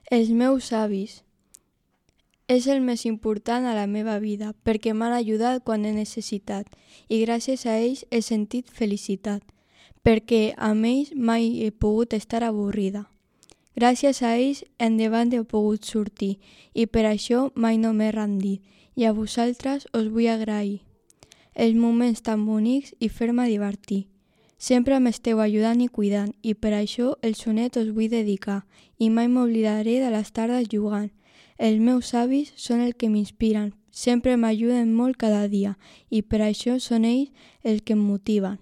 Els meus avis és el més important a la meva vida perquè m'han ajudat quan he necessitat i gràcies a ells he sentit felicitat, perquè amb ells mai he pogut estar avorrida. Gràcies a ells endavant he pogut sortir i per això mai no m'he rendit i a vosaltres us vull agrair els moments tan bonics i fer-me divertir. Sempre m'esteu ajudant i cuidant i per això el sonet us vull dedicar i mai m'oblidaré de les tardes jugant. Els meus avis són el que m'inspiren, sempre m'ajuden molt cada dia i per això són ells els que em motiven.